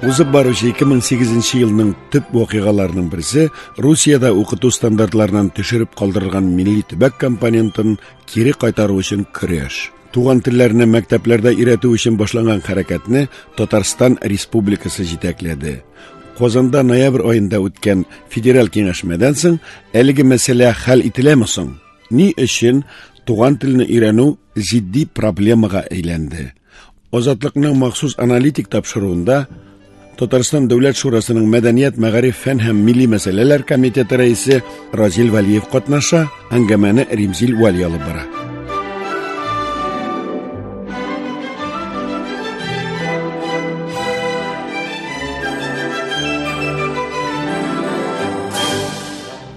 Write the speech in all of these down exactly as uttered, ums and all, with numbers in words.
Узып баручы ике мең сигезенче елның төп вакыйгаларының берсе Русиядә укыту стандартларынан төшереп калдырылган милли төбәк компонентын кире кайтару өчен көрәш. Туган телләрне мәктәпләрдә өйрәтү өчен башланган хәрәкәтне Татарстан Республикасы җитәкләде. Казанда ноябрь аенда үткән федераль киңәшмәдән соң әлеге мәсьәлә хәл ителәме соң? Ни өчен туган телне өйрәнү җитди проблемага әйләнде? Азатлыкның махсус аналитик тапшыруында Татарстан Дәүләт Шурасының Мәдәният, Мәгариф, Фән һәм Милли мәсьәләләр комитеты рәисе Разил Вәлиев катнаша, әңгәмәне Римзил Вәли алып бара.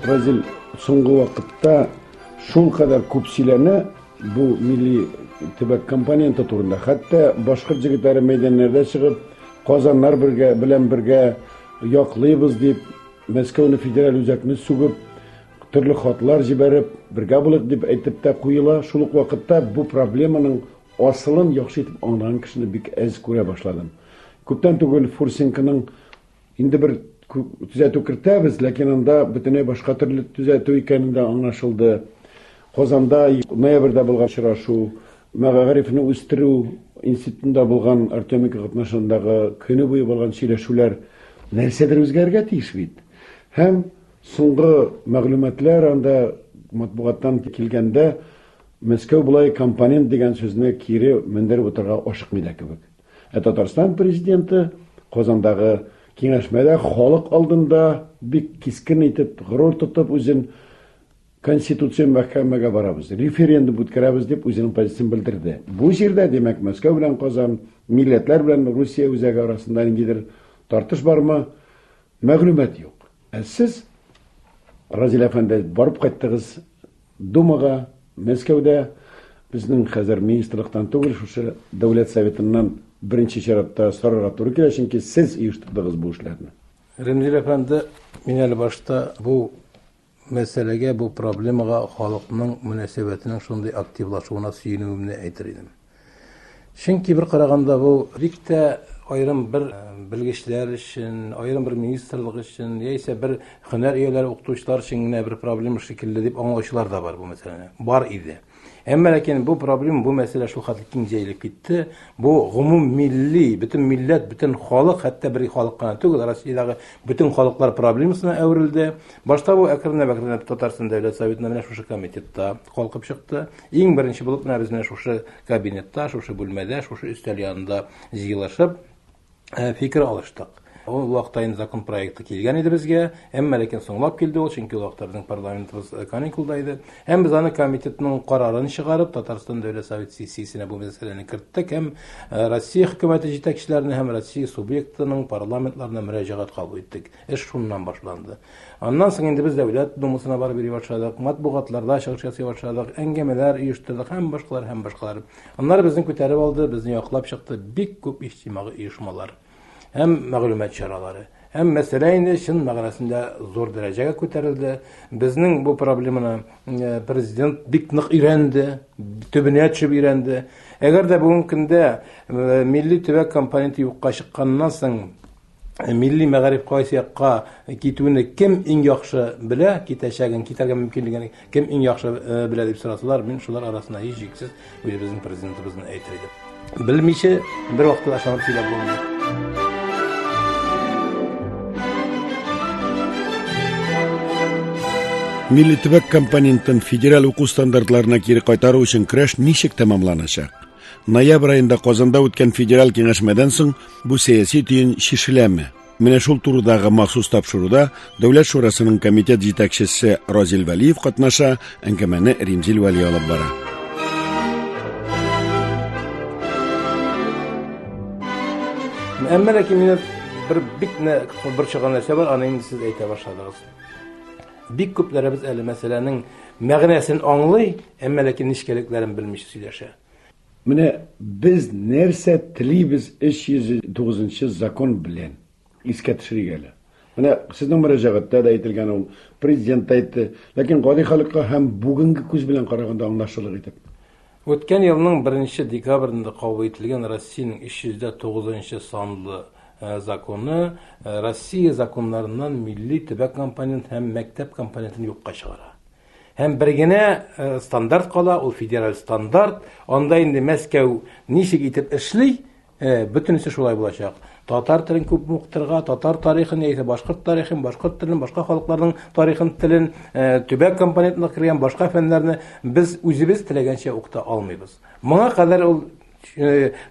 Разил, соңгы вакытта шул кадәр күп сөйләнә бу милли төбәк компоненты турында. Хәтта башкорт җегетләре мәйданнарда чыгып, Казаннар бергә, белән бергә яклыйбыз дип, Мәскәүне федераль үзәкне сүгеп, төрле хатлар җибәреп, бергә булыйк дип әйтеп тә куела. Шул ук вакытта бу проблеманың асылын яхшы итеп аңлаган кешене бик әз күрә башладым. Күптән түгел Фурсенконың инде бер төзәтү кертәбез, ләкин анда бөтенләй башка төрле төзәтү икәнен дә аңлашылды. Казанда ноябрьдә булган очрашу, мәгарифне үстерү институтында булган Артемика катнашындагы көне буе булган сөйләшүләр нәрсәдер үзгәрергә тиеш бит. Һәм соңгы мәгълүматлар анда матбугаттан килгәндә Мәскәү болай компонент дигән сүзне кире мендереп утырырга ашыкмый да кебек. Ә Татарстан президенты Казандагы киңәшмәдә халык алдында бик кискен итеп, горур тотып үзен Конституцион мәхкәмәгә барабыз, референдум үткәрәбез дип үзенең позициясен белдерде. Бу җирдә, димәк, Мәскәү белән Казан, милләтләр белән Русия үзәге арасында ниндидер тартыш бармы? Мәгълүмат юк. Ә сез, Разил әфәнде, барып кайттыгыз Думага, Мәскәүдә, безнең хәзер министрлыктан түгел, шушы Дәүләт Советыннан беренче чиратта сорарга туры килә, чөнки сез оештырдыгыз бу эшләрне. Римзил әфәнде, мин әле башта бу мәсьәләгә, бу проблемага халыкның мөнәсәбәтенең шундый активлашуына сөенүемне әйтер идем. Чөнки бер караганда бу бик тә аерым бер белгечләр өчен, аерым бер министрлык өчен, яисә бер һөнәр ияләре, укытучылар өчен генә бер проблема шикелле дип аңлаучылар да бар бу мәсьәләне. Бар иде. Әмма ләкин бу проблема, бу мәсьәлә шул хәтле киң җәелеп китте. Бу гомум милли, бөтен милләт, бөтен халык, хәтта бер халык кына түгел, Россиядәге бөтен халыклар проблемасына әверелде. Башта бу әкренләп-әкренләп Татарстан Дәүләт Советында менә шушы комитетта калкып чыкты. Иң беренче булып менә без менә шушы кабинетта, шушы бүлмәдә, шушы өстәл янында җыелышып, э, фикер алыштык. Ул вакытта инде закон проекты килгән иде безгә, әмма ләкин соңлап килде ул, чөнки ул вакытта безнең парламентыбыз каникулда иде. Һәм без аны комитетның карарын чыгарып, Татарстан Дәүләт Совет сессиясенә бу мәсьәләне керттек һәм, э, Россия хөкүмәте җитәкчеләренә һәм Россия субъектының парламентларына мөрәҗәгать кабул иттек. Эш шуннан башланды. Аннан соң инде без Дәүләт Думасына барып йөри башладык, матбугатларда чыгыш ясый башладык, әңгәмәләр оештырдык һәм башкалар һәм башкалар. Аннары безне күтәреп алды, безне яклап чыкты бик күп иҗтимагый оешмалар һәм мәгълүмат чаралары. Һәм мәсьәлә инде чын мәгънәсендә зур дәрәҗәгә күтәрелде. Безнең бу проблеманы, э, президент бик нык өйрәнде, төбенә төшеп өйрәнде. Әгәр дә бүгенге көндә, э, милли төбәк компоненты юкка чыкканнан соң, э, милли мәгариф кайсы якка китүне кем иң яхшы белә, китәчәген, китәргә мөмкинлеген кем иң яхшы, э, белә дип сорасалар, мин шулар арасында һичшиксез үзебезнең президентыбызны әйтер идем. Белмичә бер вакытта да ышанып сөйләп булмый. Милли төбәк компонентын федераль уку стандартларына кире кайтару өчен көрәш ничек тәмамланачак? Ноябрь аенда Казанда үткән федераль киңәшмәдән соң бу сәяси төен чишеләме? Менә шул турыдагы махсус тапшыруда Дәүләт Шурасының комитет җитәкчесе Разил Вәлиев катнаша, әңгәмәне Римзил Вәли алып бара. Әмма ләкин мине бер бик нә борчыган нәрсә бар, аны инде сез әйтә башладыгыз. Бик күпләребез әле мәсьәләнең мәгънәсен аңлый, әмма ләкин нечкәлекләрен белмичә сөйләшә. Менә без нәрсә телибез өч йөз тугызынчы закон белән искә төшерик әле. Менә сезнең мөрәҗәгатьтә дә әйтелгән ул, президент та әйтте, ләкин гади халыкка һәм бүгенге күз белән караганда аңлашылыр итеп. Үткән елның беренче декабрендә кабул ителгән Россиянең өч йөз тугызынчы санлы законы Россия законнарыннан милли төбәк компонент һәм мәктәп компонентын юкка чыгара. Һәм бер генә стандарт кала, ул федераль стандарт. Анда инде Мәскәү ничек итеп эшли, бөтенесе шулай булачак. Татар телен күп укытырга, татар тарихын, яисә башкорт тарихын, башкорт телен, башка халыкларның тарихын, телен, төбәк компонентына кергән башка фәннәрне без үзебез теләгәнчә укыта алмыйбыз. Моңа кадәр ул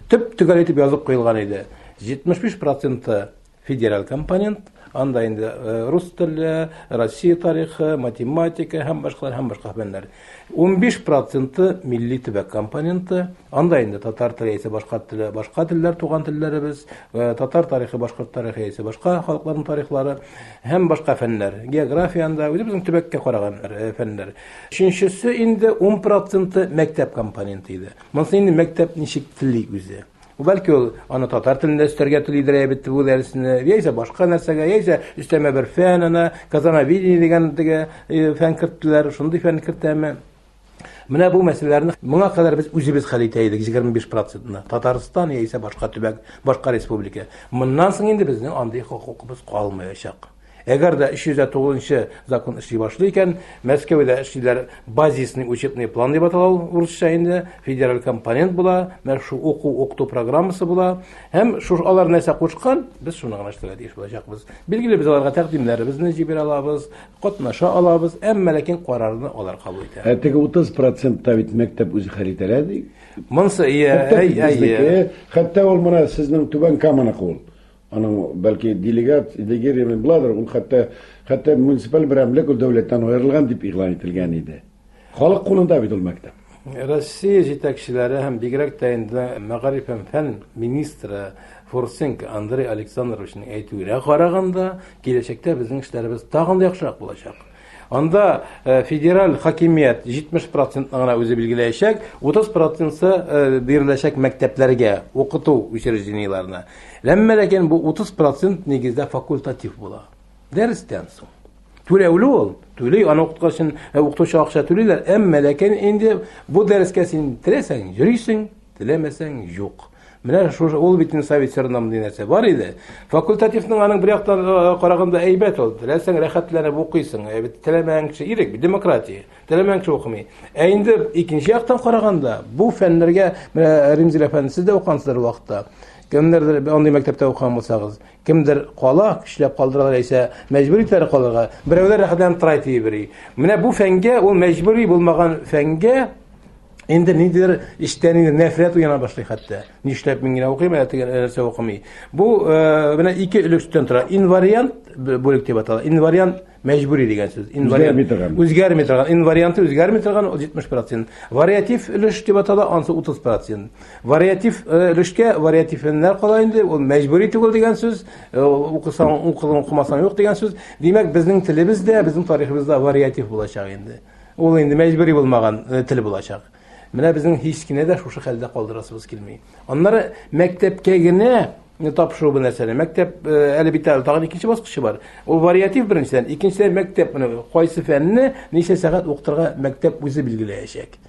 төп төгәл итеп язып куелган иде. җитмеш биш проценты федераль компонент, анда инде рус теле, Россия тарихы, математика һәм башкалар һәм башка фәннәр. Унбиш проценты милли төбәк компоненты, анда инде татар теле яисә башка теле, башка телләр, туган телләребез, татар тарихы, башкорт тарихы яисә башка халыкларның тарихлары һәм башка фәннәр. География анда үзебезнең төбәккә караган фәннәр. Өченчесе инде ун проценты мәктәп компоненты иде. Монысы инде мәктәп ничек тели үзе. Бәлки ул аны татар телендә өстәргә телидер бит бу дәресне, яисә башка нәрсәгә, яисә өстәмә бер фән, ана казановидение дигән теге фән керттеләр, шундый фән кертәме? Менә бу мәсьәләләрне моңа кадәр без үзебез хәл итә идек егерме биш процентны. Татарстан яисә башка төбәк, башка республика. Моннан соң инде безнең андый хокукыбыз калмаячак. Әгәр дә өч йөз тугызынчы закон эшли башлый икән, Мәскәүдә эшлиләр базисный учебный план дип атала ул урысча инде, федераль компонент була, менә шу уку укыту программасы була һәм шу алар нәрсә кушкан, без шуны гына эшләргә тиеш булачакбыз. Билгеле без аларга тәкъдимнәребезне җибәрә алабыз, катнаша алабыз, әмма ләкин карарны алар кабул итә. Ә теге утыз процентта бит мәктәп үзе хәл итә ди. Монсы ия, хәтта ул менә сезнең Түбән Каманыкы ул. Аның бәлки делегат, делегирован буладыр, ул хәтта хәтта муниципаль берәмлек ул дәүләттән аерылган дип игълан ителгән иде. Халык кулында бит ул мәктәп. Россия җитәкчеләре һәм бигрәк тә инде мәгариф һәм фән министры Фурсенко Андрей Александровичның әйтүенә караганда, киләчәктә безнең эшләребез тагын да яхшырак булачак. Анда федераль хакимият җитмеш процентны гына үзе билгеләячәк, утыз проценты биреләчәк мәктәпләргә, укыту учреждениеләренә. Әмма ләкин бу утыз процент нигездә факультатив була. Дәрестән соң. Түләүле ул, түли, аны укыткан өчен укытучы акча түлиләр, әмма ләкин инде бу дәрескә син теләсәң йөрисең, теләмәсәң юк. Менә шушы ул бит инде совет чорында мондый нәрсә бар иде. Факультативның аның бер яктан караганда әйбәт ул. Теләсәң рәхәтләнеп укыйсың, ә бит теләмәгән кеше ирек, демократия. Теләмәгән кеше укымый. Ә инде икенче яктан караганда бу фәннәргә менә Римзил әфәнде сез дә укыгансыздар вакытта. Кемнәрдер андый мәктәптә укыган булсагыз, кемдер кала, көчләп калдыралар яисә мәҗбүр итәләр калырга. Берәүләр рәхәтләнеп тора итә. Менә бу фәнгә, ул мәҗбүри булмаган фәнгә инде ниндидер эштән инде нәфрәт уяна башлый хәтта. Нишләп мин генә укыйм, ә теге нәрсә укымый. Бу менә ике өлештән тора. Инвариант бүлек дип атала. Инвариант мәҗбүри дигән сүз. Инвариант үзгәрми торган. Инварианты үзгәрми торган ул җитмеш процент. Вариатив өлеш дип атала, ансы утыз процент. Вариатив өлешкә вариатив фәннәр кала инде, ул мәҗбүри түгел дигән сүз. Укысаң укыдың, укымасаң юк дигән сүз. Димәк, безнең телебез дә, безнең тарихыбыз да вариатив булачак инде. Ул инде мәҗбүри булмаган тел булачак. Менә безнең һич кенә дә шушы хәлдә калдырасыбыз килми. Аннары мәктәпкә генә тапшыру бу нәрсәне. Мәктәп әле бит әле тагын икенче баскычы бар. Ул вариатив беренчедән, икенчедән мәктәп менә кайсы фәнне ничә сәгать укытырга мәктәп үзе билгеләячәк.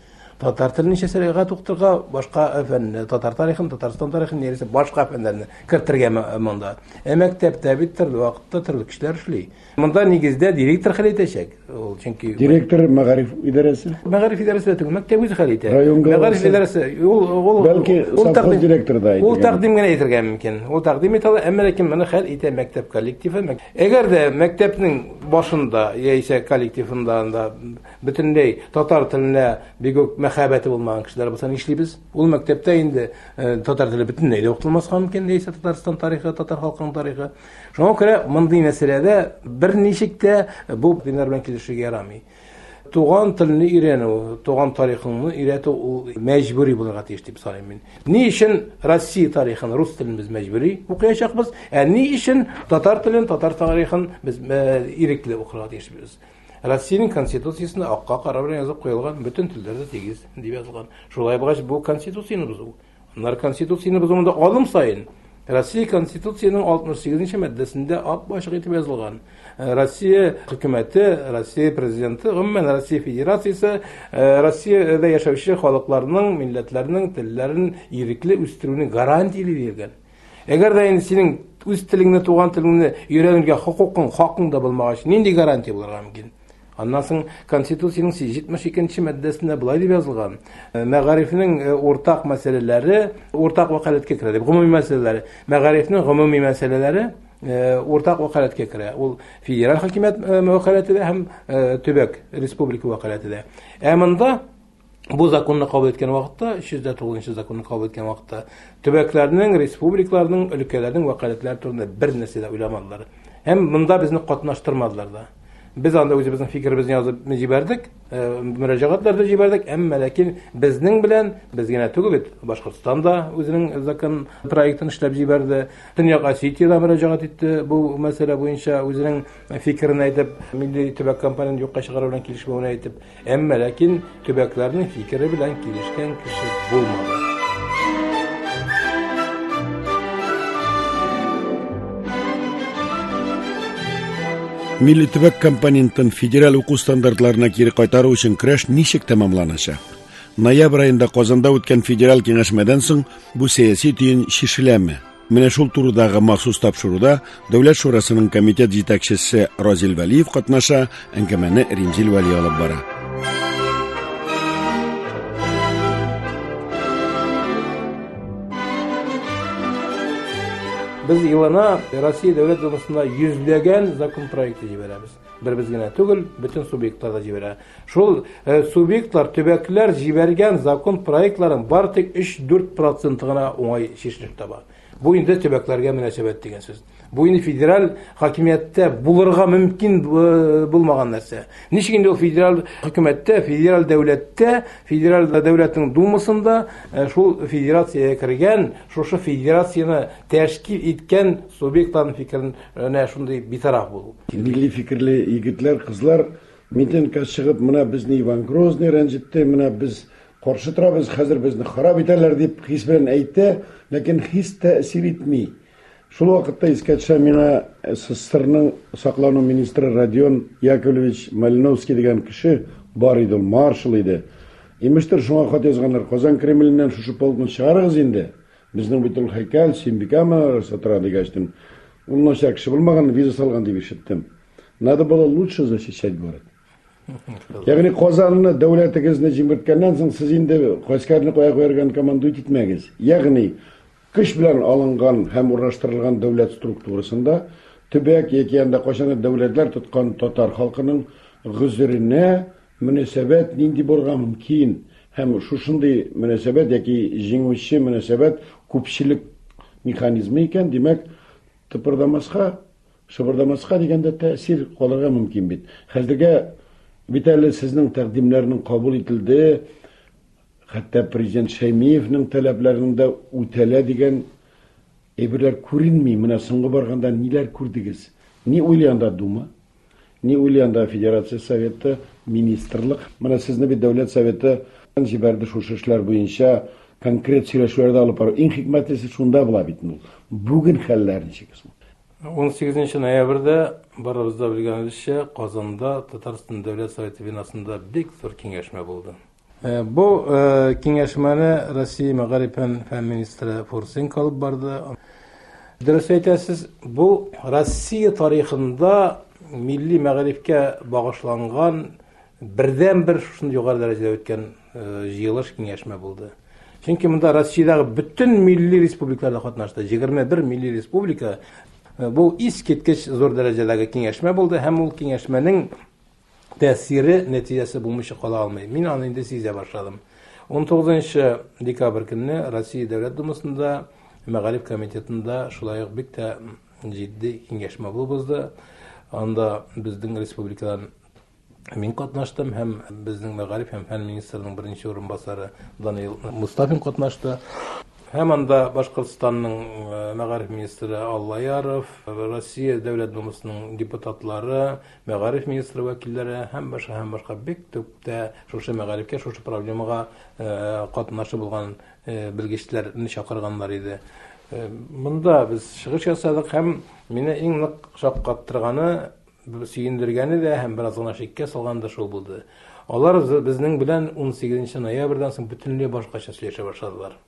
Татар телен ничә сәгать укытырга, башка фәнне, татар тарихын, Татарстан тарихын, яисә башка фәннәрне кертергә монда. Ә мәктәптә бит төрле вакытта төрле кешеләр эшли. Монда нигездә директор хәл итәчәк. Ул чөнки директор мәгариф идарәсе. Мәгариф идарәсе түгел, мәктәп үзе хәл итә. Мәгариф идарәсе ул ул бәлки совхоз директоры да әйтергә. Ул тәкъдим генә әйтергә мөмкин. Ул тәкъдим итә ала, әмма ләкин моны хәл итә мәктәп коллективы. Әгәр дә мәктәпнең башында яисә коллективында анда бөтенләй татар теленә бик үк мәхәббәте булмаган кешеләр булса нишлибез? Ул мәктәптә инде татар теле бөтенләй дә укытылмаска мөмкин, яисә Татарстан тарихы, татар халкының тарихы. Шуңа күрә мондый мәсьәләдә берничек тә бу диннәр белән килешергә ярамый. Туган телне өйрәнү, туган тарихыңны өйрәтү ул мәҗбүри булырга тиеш дип саныйм мин. Ни өчен Россия тарихын, рус телен без мәҗбүри укыячакбыз, ә ни өчен татар телен, татар тарихын без ирекле укырга тиешбез? Россиянең конституциясендә акка кара белән язып куелган бөтен телләр дә тигез дип язылган. Шулай булгач, бу конституцияне бозу. Аннары конституцияне бозу монда алым саен. Россия конституцияның алтмыш сигезенче маддәсендә ап-ачык итеп язылган. Россия хөкүмәте, Россия президенты, гомумән Россия Федерациясе Россиядә яшәүче халыкларның, милләтләрнең телләрен ирекле үстерүне гарантияли биргән. Әгәр дә инде синең үз телеңне, туган телеңне өйрәнергә хокукың, хакың да булмагач, нинди гарантия булырга мөмкин? Аннан соң Конституциянең җитмеш икенче маддәсендә болай дип язылган: мәгарифнең уртак мәсьәләләре уртак вәкаләткә керә дип, гомуми мәсьәләләре, мәгарифнең гомуми мәсьәләләре уртак вәкаләткә керә. Ул федераль хакимият вәкаләте дә һәм төбәк, республика вәкаләте дә. Ә монда бу законны кабул иткән вакытта, өч йөз дә тугызынчы законны кабул иткән вакытта, төбәкләрнең, республикаларның, өлкәләрнең вәкаләтләре турында бер нәрсә дә уйламадылар. Һәм монда безне катнаштырмадылар да. Без анда үзебезнең фикеребезне язып җибәрдек, мөрәҗәгатьләр дә җибәрдек, әмма ләкин безнең белән, без генә түгел бит, Башкортстан да үзенең закон проектын эшләп җибәрде, Төньяк Осетия да мөрәҗәгать итте бу мәсьәлә буенча, үзенең фикерен әйтеп, милли төбәк компонентын юкка чыгару белән килешмәвен әйтеп, әмма ләкин төбәкләрнең фикере белән килешкән кеше булмады. Милли төбәк компонентын федераль уку стандартларына кире кайтару өчен көрәш ничек тәмамланачак? Ноябрь аенда Казанда үткән федераль киңәшмәдән соң бу сәяси төен чишеләме? Менә шул турыдагы махсус тапшыруда Дәүләт шурасының комитет җитәкчесе Разил Вәлиев катнаша, әңгәмәне Римзил Вәли алып бара. Без елына Россия Дәүләт Думасында йөзләгән закон проекты җибәрәбез. Бер без генә түгел, бөтен субъектлар да җибәрә. Шул субъектлар, төбәкләр җибәргән закон проектларын бары тик өч-дүрт проценты гына уңай чишелеш таба. Бу инде төбәкләргә мөнәсәбәт дигән сүз. Бу инде федераль хакимияттә булырга мөмкин булмаган нәрсә. Ничек инде ул федераль хөкүмәттә, федераль дәүләттә, федераль дәүләтнең думасында шул федерациягә кергән, шушы федерацияне тәшкил иткән субъектларның фикеренә шундый битараф булу. Милли фикерле егетләр, кызлар митингка чыгып, менә безне Иван Грозный рәнҗетте, менә без каршы торабыз, хәзер безне харап итәләр дип хис белән әйтә, ләкин хис тәэсир итми. Шул вакытта искә төшә миңа СССРның саклану министры Родион Яковлевич Малиновский дигән кеше бар иде, ул маршал иде. Имештер, шуңа хат язганнар, Казан Кремленнән шушы полкны чыгарыгыз инде. Безнең бит ул һәйкәл, Сөембикә манарасы тора дигәчтен. Ул начар кеше булмаган, виза салган дип ишеттем. Надо было лучше защищать город. Ягъни Казанны, дәүләтегезне җимерткәннән соң сез инде гаскәрне кая куярга командует итмәгез. Ягъни көч белән алынган һәм урнаштырылган дәүләт структурасында төбәк яки анда кайчандыр дәүләтләр тоткан татар халкының гозеренә мөнәсәбәт нинди булырга мөмкин һәм шушындый мөнәсәбәт яки җиңүче мөнәсәбәт күпчелек механизмы икән, димәк, тыпырдамаска, шыбырдамаска дигәндә тәэсир калырга мөмкин бит. Хәзергә бит әле сезнең тәкъдимнәрнең кабул ителде, хәтта президент Шәймиевнең таләпләренең дә үтәлә дигән әйберләр күренми. Менә соңгы барганда ниләр күрдегез? Ни уйлый анда Дума? Ни уйлый анда Федерация Советы, министрлык? Менә сезне бит Дәүләт Советы җибәрде шушы эшләр буенча конкрет сөйләшүләрдә алып бару. Иң хикмәтлесе шунда була бит ул. Бүген хәлләр ничек соң? ун сигезенче ноябрьдә барыбыз да белгәнебезчә Казанда Татарстан Дәүләт Советы бинасында бик зур киңәшмә булды. Бу киңәшмәне Россия мәгариф һәм фән министры Фурсенко алып барды. Дөрес әйтәсез, бу Россия тарихында милли мәгарифкә багышланган бердән-бер шушындый югары дәрәҗәдә үткән җыелыш киңәшмә булды. Чөнки монда Россиядәге бөтен милли республикалар катнашты. Егерме бер милли республика. Бу искиткеч зур дәрәҗәдәге киңәшмә булды һәм ул киңәшмәнең тәэсире, нәтиҗәсе булмыйча кала алмый. Мин аны инде сизә башладым. ун тугызынчы декабрь көнне Россия Дәүләт Думасында Мәгариф комитетында шулай ук бик тә җитди киңәшмә булып узды. Анда безнең республикадан мин катнаштым һәм безнең мәгариф һәм фән министрының беренче урынбасары Даниил Мустафин катнашты. Һәм анда Башкортстанның мәгариф министры Аллаяров, Россия Дәүләт Думасының депутатлары, мәгариф министры вәкилләре һәм башка һәм башка бик күп тә шушы мәгарифкә, шушы проблемага катнашы булган белгечләрне чакырганнар иде. Монда без чыгыш ясадык һәм мине иң нык шаккаттырганы, сөендергәне дә һәм бераз гына шиккә салганы да шул булды. Алар безнең белән ун сигезенче ноябрьдән соң бөтенләй башкача сөйләшә башладылар.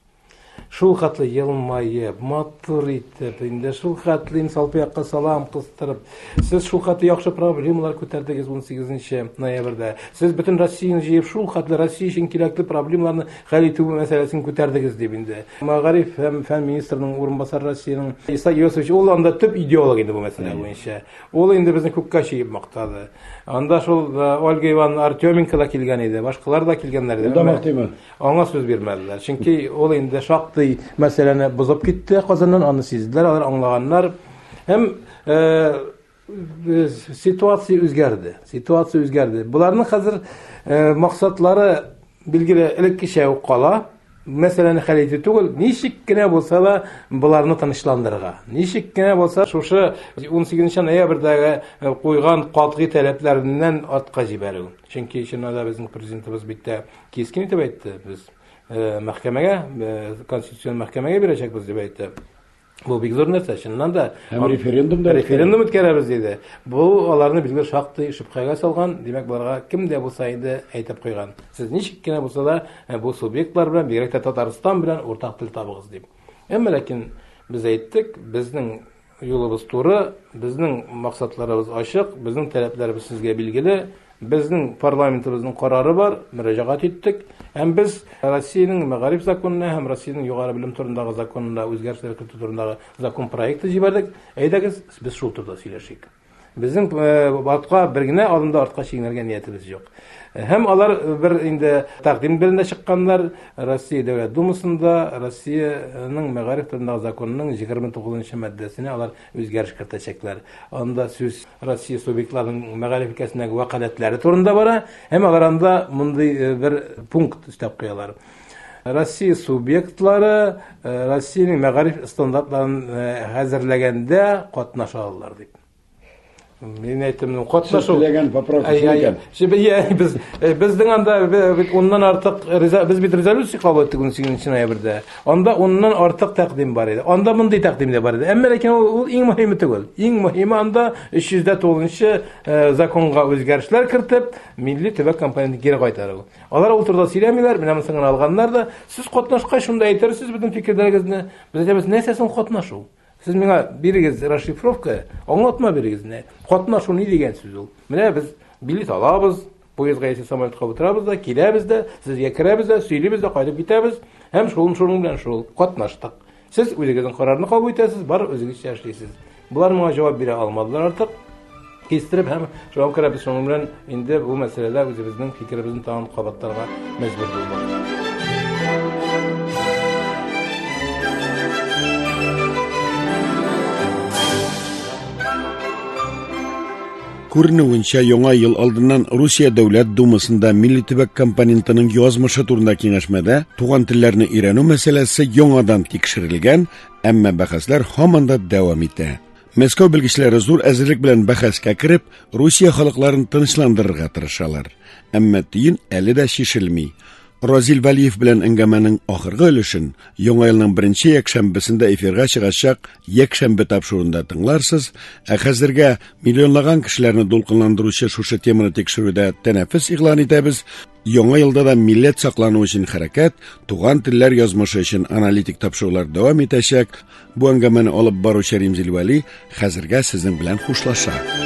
Шул хәтле елмаеп, матур итеп, инде шул хәтле салпы якка салам кыстырып, сез шул хәтле яхшы проблемалар күтәрдегез унсигезенче ноябрьдә. Сез бөтен Россияне җыеп, шул хәтле Россия өчен кирәкле проблемаларны хәл итү мәсьәләсен күтәрдегез дип инде. Мәгариф һәм фән министрының урынбасары Россиянең Иса Иосифович, ул анда төп идеолог инде бу мәсьәлә буенча. Ул инде безне күккә чөеп мактады. Анда шул Ольга Ивановна Артеменко да килгән иде, башкалар да килгәннәр иде. Ул да мактыймы? Аңа сүз бирмәделәр. Чөнки ул инде шактый мәсьәләне бозып китте Казаннан, аны сизделәр, алар аңлаганнар. Һәм ситуация үзгәрде. Ситуация үзгәрде. Буларның хәзер максатлары билгеле элеккечә үк кала. Мәсьәләне хәл итү түгел, ничек кенә булса да буларны тынычландырырга. Ничек кенә булса шушы унсигезенче ноябрьдәге куйган катгый таләпләреннән артка җибәрү. Чөнки чыннан да безнең президентыбыз бик тә кискен итеп әйтте, без мәхкәмәгә, конституцион мәхкәмәгә бирәчәкбез дип әйтте. Бу бик зур нәрсә, чыннан да. Һәм референдум да референдум үткәрәбез диде. Бу аларны билгеле шактый шөбһәгә салган, димәк, буларга кем дә булса инде әйтеп куйган. Сез ничек кенә булса да бу субъектлар белән, бигрәк тә Татарстан белән уртак тел табыгыз дип. Әмма ләкин без әйттек, безнең юлыбыз туры, безнең максатларыбыз ачык, безнең таләпләребез сезгә билгеле. Безнең парламентыбызның карары бар, мөрәҗәгать иттек. Һәм без Россиянең мәгариф законына һәм Россиянең югары белем турындагы законына үзгәрешләр кертү турындагы закон проекты җибәрдек. Әйдәгез, без шул турыда сөйләшик. Безнең артка бер генә адым да артка чигенергә ниятебез юк. Һәм алар бер инде тәкъдим белән дә чыкканнар. Россия Дәүләт Думасында Россиянең мәгариф турындагы законының егерме тугызынчы маддәсенә алар үзгәреш кертәчәкләр. Анда сүз Россия субъектларының мәгариф өлкәсендәге вәкаләтләре турында бара, һәм алар анда мондый бер пункт өстәп куялар. Россия субъектлары Россиянең мәгариф стандартларын хәзерләгәндә катнаша алалар дип. Мин әйттем, ну, катнашу. Теләгән поправка икән. Без безнең анда бит уннан артык без бит резолюция кабул иттек унсигезенче ноябрьдә. Анда уннан артык тәкъдим бар иде. Анда мондый тәкъдим дә бар иде. Әмма ләкин ул иң мөһиме түгел. Иң мөһиме анда өч йөз дә тугызынчы законга үзгәрешләр кертеп, милли төбәк компонентын кире кайтару. Алар ул турыда сөйләмиләр, менә монысын гына алганнар да, сез катнашкач шунда әйтерсез бөтен фикерләрегезне. Без әйтәбез, нәрсә соң катнашу? Сез миңа бирегез расшифровка, аңлатма бирегез не. Катнашу ни дигән сүз ул? Менә без билет алабыз, поездга яисә самолетка утырабыз да, киләбез дә, сезгә керәбез дә, сөйлибез дә, кайтып китәбез һәм шул шуның белән шул катнаштык. Сез үзегезнең карарны кабул итәсез, бар үзегезчә эшлисез. Булар моңа җавап бирә алмадылар артык. Кистереп һәм шуңа күрә без шуның белән инде бу мәсьәләдә үзебезнең фикеребезне тагын кабатларга мәҗбүр булдык. Күренүенчә, яңа ел алдыннан Русия Дәүләт Думасында милли төбәк компонентының язмышы турында киңәшмәдә туган телләрне өйрәнү мәсьәләсе яңадан тикшерелгән, әмма бәхәсләр һаман да дәвам итә. Мәскәү белгечләре зур әзерлек белән бәхәскә кереп, Русия халыкларын тынычландырырга тырышалар. Әмма төен әле дә чишелми. Разил Вәлиев белән әңгәмәнең ахыргы өлешен яңа елның беренче якшәмбесендә эфирга чыгачак якшәмбе тапшыруында тыңларсыз. Ә хәзергә миллионлаган кешеләрне дулкынландыручы шушы теманы тикшерүдә тәнәфес игълан итәбез. Яңа елда да милләт саклану өчен хәрәкәт, туган телләр язмышы өчен аналитик тапшырулар дәвам итәчәк. Бу әңгәмәне алып баручы Римзил Вәли хәзергә сезнең белән хушлаша.